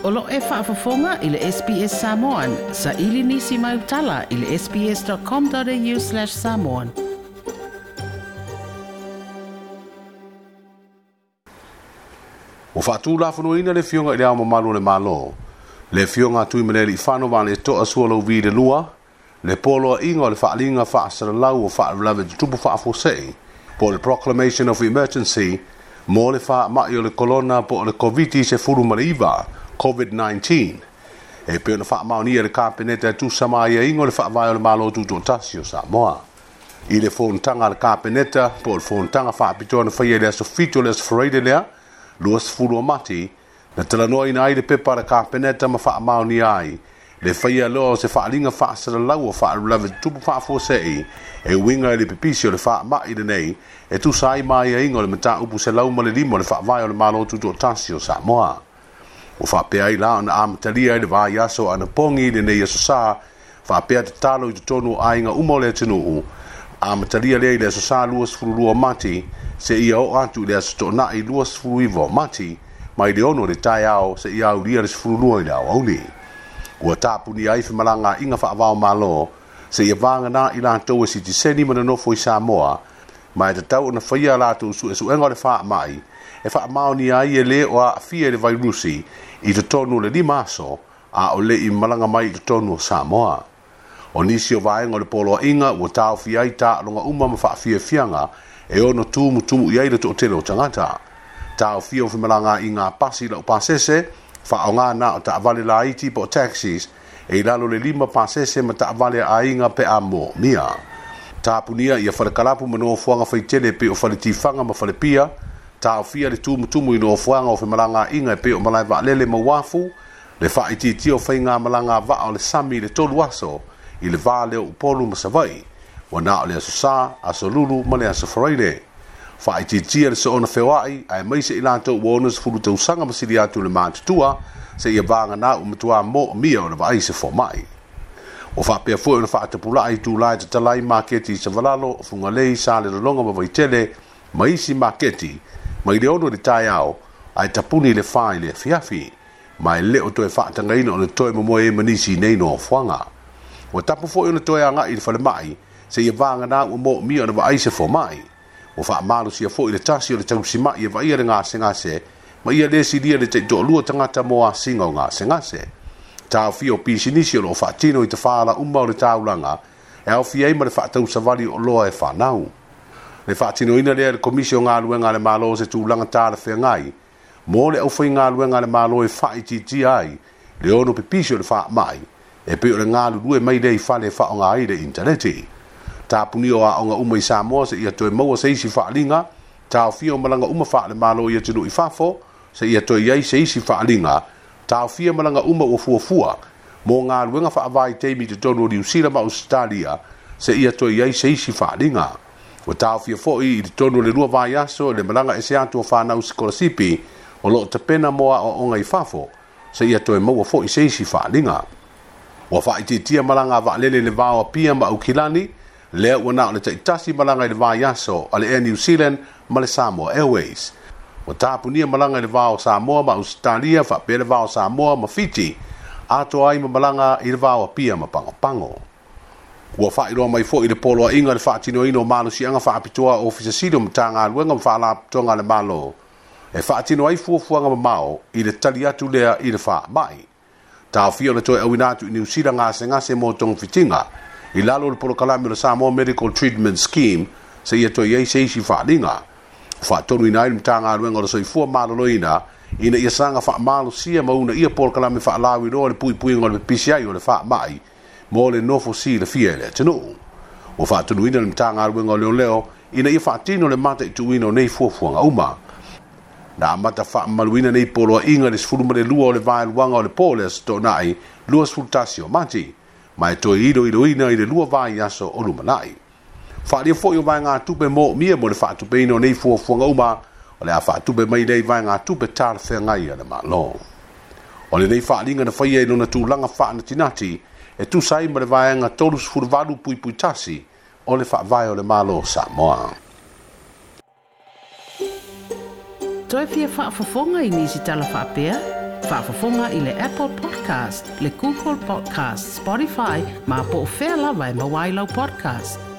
O lo o e faafofoga i le SBS Samoan. Saili nisi mau tala i le sbs.com.au/samoan. Ua faatulafonoina le Afioga i Le Ao Mamalu o le Malo, le Afioga a Tuimalealiifano Vaaleto'a Sualauvi II, le Poloaiga o le Faaaliga Faasalalau o Faalavelave Tutupu Faafuasei, po o le Proclamation of Emergency, mo le faamai o le Kolona po o le Koviti-19, COVID-19, e pei ona faamaonia e le Kapeneta e tusa ma aiaiga o le Faavae o le Malo Tutoatasi o Samoa. I le fonotaga a le Kapeneta po o le fonotaga faapitoa na faia i le aso 7 o le aso Faraile lea, 20 o Mati, na talanoaina ai le pepa a le Kapeneta ma faamaonia ai le faia loa o se faaaliga faasalalau o faalavelave tutupu faafuasei e uiga i le pipisi o le faamai lenei e tusa ai ma aiaiga o le mataupu 105 o le Faavae o le Malo Tutoatasi o Samoa. Ua faapea ai la ona amatalia ai le vaiaso o anapogi lenei Aso Sa, faapea tatalo i totonu o aiga uma o le atunuu, amatalia lea i le Aso Sa 22 o Mati seia oo atu i le Aso Toonai 29 o Mati, mai le 6 i le taeao seia aulia le 12 i le aoauli. Ua tapunia ai femalagaaiga faava-o-Malo seia vagana i latou e sitiseni ma nonofo i Samoa, ma e tatau ona faia a latou suesuega o le faamai e faamaonia ai e le o aafia i le vairusi i totonu o le 5 aso a o le i malaga mai i totonu o Samoa. O nisi o vaega o le poloaiga ua taofia ai taaloga uma ma faafiafiaga e ono tumutumu i ai le toatele o tagata. Taofia o femalagaaiga a pasi laupasese, faaaoga na o taavale laiti po o taxis e i lalo le 5 pasese ma taavale a aiga pe a moomia. Tapunia ia falekalapu ma nofoaga faitele e pei o faletifaga ma falepia, taofia le tumutumu i nofoaga o femalagaaiga e pei o malae vaalele ma uafu, le faaitiitia o faigamalaga a vaa o le sami i le 3 aso i le va lea o Upolu ma Savaii, ua na o le Aso Sa, Aso Lulu ma le Aso Faraile. Faaitiitia le soona feoai, aemaise i latou ua 60 tausaga ma sili atu le matutua, seia vagana ua matua moomia ona vaai se fomai. Ua faapea foi ona faatapulaa itulā e tatala ai maketi i Savalalo, Fugalei, Salelologa ma Vaitele, ma isi maketi, mai le 6 i le taeao, ae tapuni i le 4 i le afiafi. Ma e le o toe faatagaina ona toe momoe ai ma nisi i nei nofoaga. Ua tapu foi ona toe agai i le falemai, seia vagana ua moomia ona vaai se fomai. Ua faamalosia foi le tasi o le tausimai e vaaia le gasegase, ma ia le silia le taitoalua tagata mo asiga o gasegase. Taofia o pisinisi o loo faatino i tafaala uma o le taulaga, e aofia ai ma le faatausavali o oloa e fanau. Le faatinoina lea e le Komisi o Galuega a le Malo o se tulaga talafeagai mo le aufaigaluega a le Malo e faaitiitia ai le ono pipisi o le faamai e pei o le galulue mai lea i fale e faaaoga ai le initaneti. Tapunia o aoga uma i Samoa seia toe maua se isi faaaliga, taofia o malaga uma faale-Malo i atunuu i fafo seia toe i ai se isi faaaliga, taofia malaga uma ua fuafua mo galuega faavaitaimi i totonu o Niu Sila ma Ausetalia seia toe i ai se isi faaaliga. Ua taofia foi i totonu o le 2 vaiaso le malaga ese atu o fanau sikolasipi o loo tapena mo aoaoga i fafo seia toe maua foi se isi faaaliga. Ua faaitiitia malaga a vaalele i le va o Apia ma Aukilani, lea ua na o le taitasi malaga i le vaiaso a le Air New Zealand ma le Samoa Airways. Ua tapunia malaga i le va o Samoa ma Ausetalia faapea le va o Samoa ma Fiti, atoa ai ma malaga i le va o Apia ma Pagopago. Ua faailoa mai foi i le poloaiga le faatinoina o malosiaga faapitoa a Ofisa Sili o Matagaluega ma Faalapotopotoga a le Malo e faatino ai fuafuaga mamao i le tali atu lea i le faamai. Taofia ona toe auina atu i Niu Sila gasegase mo togafitiga i lalo o le polokalame o le Samoa Medical Treatment Scheme seia toe i ai se isi faaaliga. Ua faatonuina ai le Matagaluega o le Soifua Maloloina ina ia saga faamalosia ma uunaia polokalame faalauiloa o le puipuiga o le pipisi ai o le faamai mo le nofo silafia e le atunuu. Ua faatonuina le Matagaluega o Leoleo ina ia faatino le mataituina o nei fuafuaga uma. Na amata faamamaluina nei poloaiga i le 12 o le vaeluaga o le po o le Aso Toonai 21 o Mati, ma e toe iloiloina i le 2 vaiaso o lumanai. Faaalia foi o vaegatupe moomia mo le faatupeina o nei fuafuaga uma, o le a faatupe mai lea i vaegatupe talafeagai a le Malo. O lenei faaaliga na faia i lona tulaga faanatinati e tusa ai ma le vaega 38.1 o le Faavae o le Malo o Samoa. Toe fia faafofoga i nisi tala faapea? Faafofoga i le Apple Podcast, le Google Podcast, Spotify, ma po o fea lava e maua ai lau podcast.